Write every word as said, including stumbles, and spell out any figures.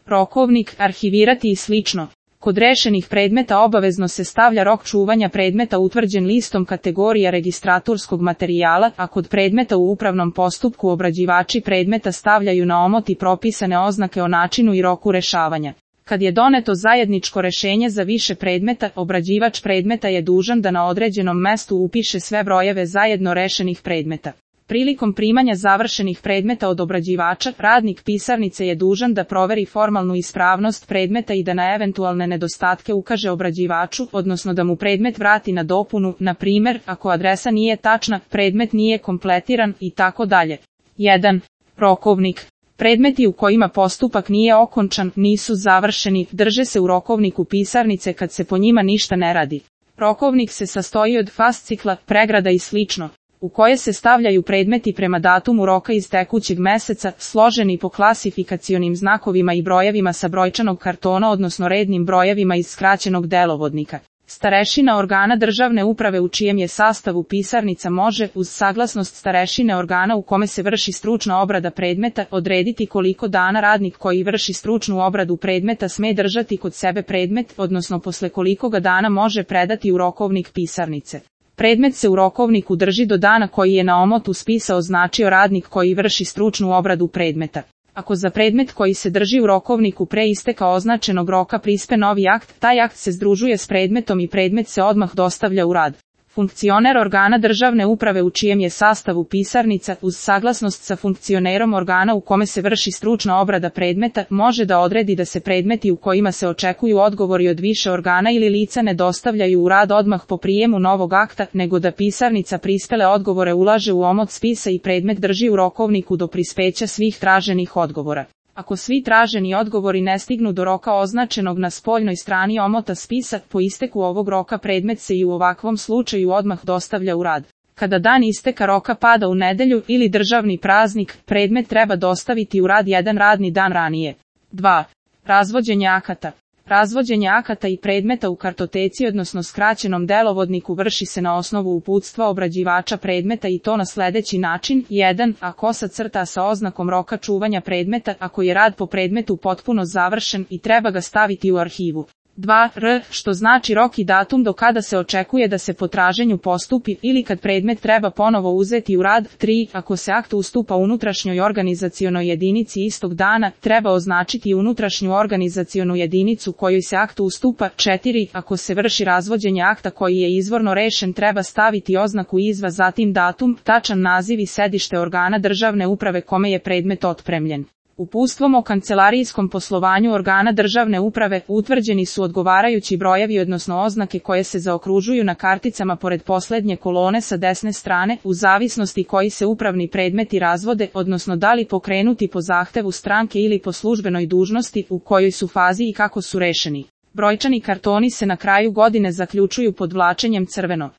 rokovnik, arhivirati i slično. Kod rešenih predmeta obavezno se stavlja rok čuvanja predmeta utvrđen listom kategorija registratorskog materijala, a kod predmeta u upravnom postupku obrađivači predmeta stavljaju na omot i propisane oznake o načinu i roku rešavanja. Kad je doneto zajedničko rešenje za više predmeta, obrađivač predmeta je dužan da na određenom mestu upiše sve brojeve zajedno rešenih predmeta. Prilikom primanja završenih predmeta od obrađivača, radnik pisarnice je dužan da proveri formalnu ispravnost predmeta i da na eventualne nedostatke ukaže obrađivaču, odnosno da mu predmet vrati na dopunu, na primjer, ako adresa nije tačna, predmet nije kompletiran i tako dalje. jedan. Rokovnik. Predmeti u kojima postupak nije okončan, nisu završeni, drže se u rokovniku pisarnice kad se po njima ništa ne radi. Rokovnik se sastoji od fascikla, pregrada i slično, u koje se stavljaju predmeti prema datumu roka iz tekućeg meseca, složeni po klasifikacionim znakovima i brojevima sa brojčanog kartona odnosno rednim brojevima iz skraćenog delovodnika. Starešina organa državne uprave u čijem je sastavu pisarnica može, uz saglasnost starešine organa u kome se vrši stručna obrada predmeta, odrediti koliko dana radnik koji vrši stručnu obradu predmeta sme držati kod sebe predmet, odnosno posle koliko ga dana može predati u rokovnik pisarnice. Predmet se u rokovniku drži do dana koji je na omotu spisa označio radnik koji vrši stručnu obradu predmeta. Ako za predmet koji se drži u rokovniku pre isteka označenog roka prispe novi akt, taj akt se združuje s predmetom i predmet se odmah dostavlja u rad. Funkcioner organa državne uprave u čijem je sastavu pisarnica, uz saglasnost sa funkcionerom organa u kome se vrši stručna obrada predmeta, može da odredi da se predmeti u kojima se očekuju odgovori od više organa ili lica ne dostavljaju u rad odmah po prijemu novog akta, nego da pisarnica prispele odgovore ulaže u omot spisa i predmet drži u rokovniku do prispeća svih traženih odgovora. Ako svi traženi odgovori ne stignu do roka označenog na spoljnoj strani omota spisa, po isteku ovog roka predmet se i u ovakvom slučaju odmah dostavlja u rad. Kada dan isteka roka pada u nedelju ili državni praznik, predmet treba dostaviti u rad jedan radni dan ranije. dva. Razvođenje akata. Razvođenje akata i predmeta u kartoteci odnosno skraćenom delovodniku vrši se na osnovu uputstva obrađivača predmeta i to na sledeći način. jedan. A kosa crta sa oznakom roka čuvanja predmeta ako je rad po predmetu potpuno završen i treba ga staviti u arhivu. dva. R, što znači rok i datum do kada se očekuje da se po traženju postupi ili kad predmet treba ponovo uzeti u rad. tri. Ako se akt ustupa unutrašnjoj organizacionoj jedinici istog dana, treba označiti unutrašnju organizacionu jedinicu kojoj se akt ustupa. četiri. Ako se vrši razvođenje akta koji je izvorno rešen, treba staviti oznaku izva, zatim datum, tačan naziv i sedište organa državne uprave kome je predmet otpremljen. Uputstvom o kancelarijskom poslovanju organa državne uprave utvrđeni su odgovarajući brojevi odnosno oznake koje se zaokružuju na karticama pored poslednje kolone sa desne strane, u zavisnosti koji se upravni predmeti razvode, odnosno da li pokrenuti po zahtevu stranke ili po službenoj dužnosti, u kojoj su fazi i kako su rešeni. Brojčani kartoni se na kraju godine zaključuju podvlačenjem crveno.